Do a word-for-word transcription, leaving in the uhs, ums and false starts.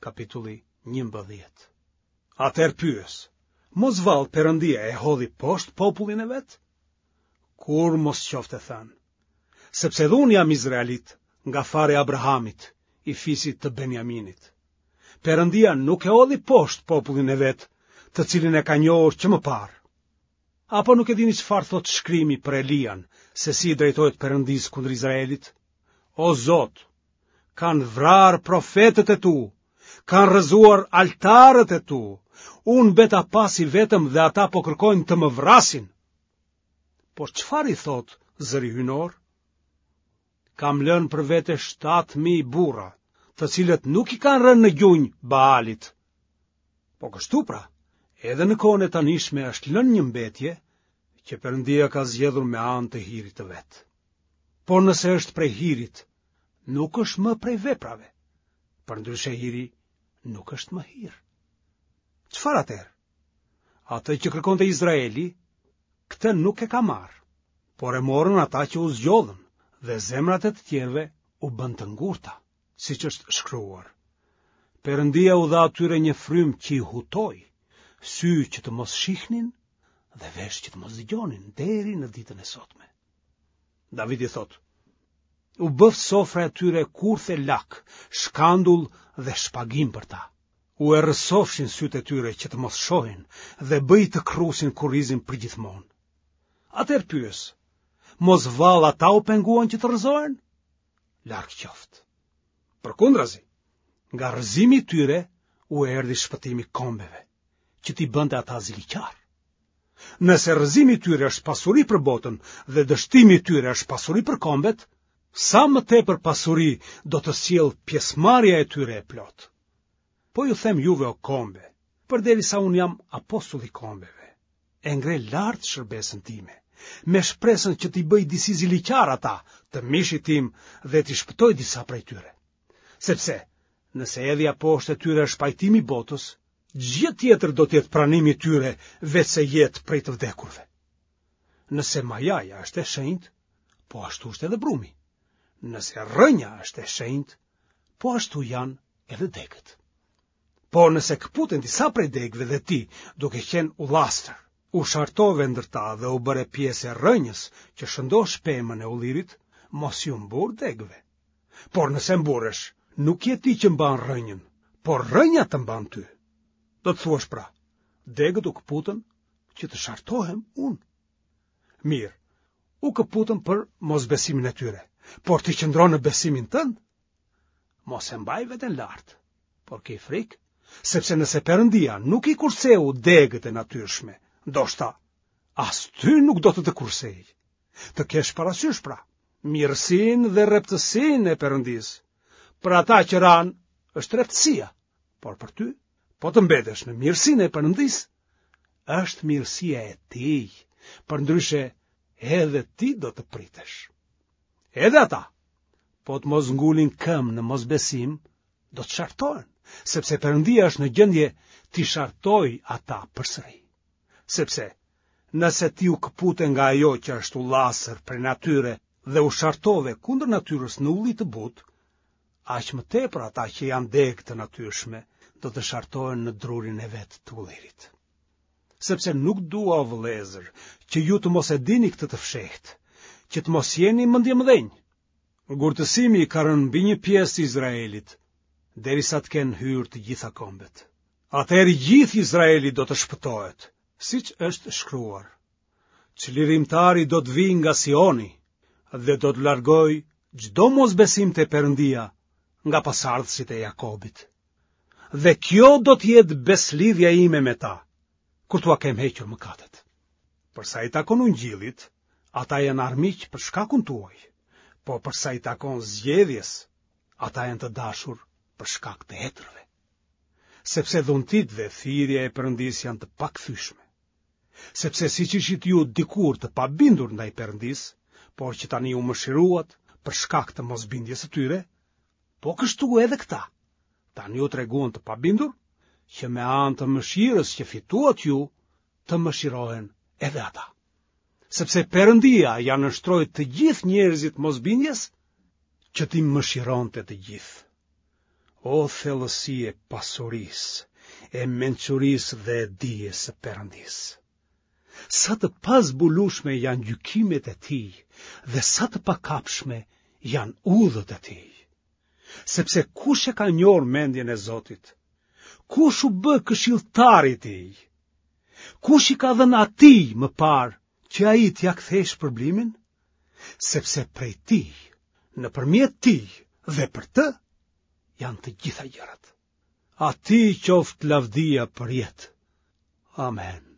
kapitulli njëmbëdhjetë. Atëherë pyes, mos vallë Perëndia e hodhi poshtë popullin e vet? Kurrë mos qoftë e thënë. Sepse edhe unë jam izraelit, nga fara e Abrahamit, i fisit të Benjaminit. Perëndia nuk e hodhi poshtë popullin e vet, të cilin e ka njohur që më parë. Apo nuk e dini çfarë thotë shkrimi për Elian, se si i drejtohet Perëndisë kundër Izraelit? O Zot, kanë vrarë profetët e tu, kanë rrëzuar altarët e tu. Unë mbeta pas i vetëm dhe ata po kërkojnë të më vrasin. Por çfarë i thotë zëri hyjnor? Kam lënë për vete shtatë mijë burra, të cilët nuk i kanë rënë në gjunjë Baalit. Po kështu pra, edhe në kohën e tanishme është lënë një mbetje që Perëndia ka zgjedhur me anë të hirit të vet. Por nëse është prej hirit, nuk është më prej veprave. Përndryshe hiri nuk është më hir. Çfarë atëherë? Atë që kërkonte Izraeli, këtë nuk e ka marrë, por e morën ata që u zgjodhën dhe zemrat e të tjerëve u bënë të ngurta, siç është shkruar. Perëndia u dha atyre një frymë që i hutoi, sy që të mos shihnin dhe vesh që të mos dëgjonin deri në ditën e sotme. Davidi thotë, u bëftë sofra e tyre kurth e lak, shkandull dhe shpagim për ta. U errësofshin sytë e tyre që të mos shohin dhe bëji të kërrusin kurrizin përgjithmonë. Atëherë pyes, mos vallë ata u penguan që të rrëzohen? Larg qoftë. Përkundrazi, nga rrëzimi i tyre u erdhi shpëtimi kombeve, që t'i bënte ata ziliqarë. Nëse rrëzimi i tyre është pasuri për botën dhe dështimi i tyre është pasuri për kombet, sa më tepër pasuri do të sjellë pjesëmarrja e tyre e plotë. Po ju them juve o kombe, përderisa unë jam apostull i kombeve, e ngre lart shërbesën time, me shpresën që t'i bëj disi ziliqarë ata të mishit tim dhe t'i shpëtoj disa prej tyre. Sepse, nëse hedhja poshtë e tyre është pajtimi i botës, ç'gjë tjetër do të jetë pranimi i tyre veçse jetë prej të vdekurve. Nëse majaja është e shenjtë, po ashtu është edhe brumi. Nëse rrënja është e shenjtë, po ashtu janë edhe degët. Por nëse këputen disa prej degëve dhe ti, duke qenë ullastër, u shartove ndër ta dhe u bëre pjesë e rrënjës që shëndosh pemën e ullirit, mos iu mburr degëve. Por nëse mburresh, nuk je ti që mban rrënjën, por rrënja të mban ty. Do të thuash pra, degët u këputën që të shartohem unë. Mirë, u këputën për mosbesimin e tyre, por ti qëndron në besimin tënd. Mos e mbaj veten lart, por ki frikë, sepse nëse Perëndia nuk i kurseu degët e natyrshme, ndoshta as ty nuk do të të kursejë. Të kesh parasysh pra, mirësinë dhe rreptësinë e Perëndisë. Për ata që ranë është rreptësia, por për ty, po të mbetesh në mirësinë e Perëndisë, është mirësia e tij, përndryshe edhe ti do të pritesh. Edhe ata, po të mos ngulin këmbë në mosbesim, do të shartohen, sepse Perëndia është në gjendje t'i shartojë ata përsëri. Sepse, nëse ti u këpute nga ajo që është ullasër prej natyre dhe u shartove kundër natyrës në ulli të butë, aq më tepër ata që janë degë të natyrshme do të shartohen në drurin e vet të ullirit. Sepse nuk dua, o vëllezër, që ju të mos e dini këtë të fshehtë, që të mos jeni mendjemëdhenj. Ngurtësimi ka rënë mbi një pjesë të Izraelit, derisa të kenë hyrë të gjitha kombet. Atëherë i gjithë Izraeli do të shpëtohet, siç është shkruar. Çlirimtari do të vijë nga Sioni dhe do të largojë çdo mosbesim te Perëndia nga pasardhësit e Jakobit. Dhe kjo do të jetë besëlidhja ime me ta, kur t'ua kem hequr mëkatet. Për sa i takon ungjillit, ata janë armiq për shkakun tuaj, po për sa i takon zgjedhjes, ata janë të dashur për shkak të etërve. Sepse dhuntitë dhe thirrja e Perëndisë janë të pakthyeshme. Sepse siç ishit ju dikur të pabindur ndaj Perëndisë, por që tani u mëshiruat për shkak të mosbindjes së tyre, po kështu edhe këta, tani u treguan të pabindur, që me anë të mëshirës që fituat ju, të mëshirohen edhe ata. Sepse Perëndia ia nënshtroi të gjithë njerëzit mosbindjes, që t'i mëshironte të gjithë. O thellësi e pasurisë, e mençurisë dhe e dijes së Perëndisë! Sa të pazbulueshme janë gjykimet e tij dhe sa të pakapshme janë udhët e tij. Sepse kush e ka njohur mendjen e Zotit? Kush u bë këshilltari i tij? Kush i ka dhënë atij më parë që ai t'ia kthejë shpërblimin? Sepse prej tij, nëpërmjet tij dhe për të janë të gjitha gjërat. Atij qoftë lavdia përjetë. Amen.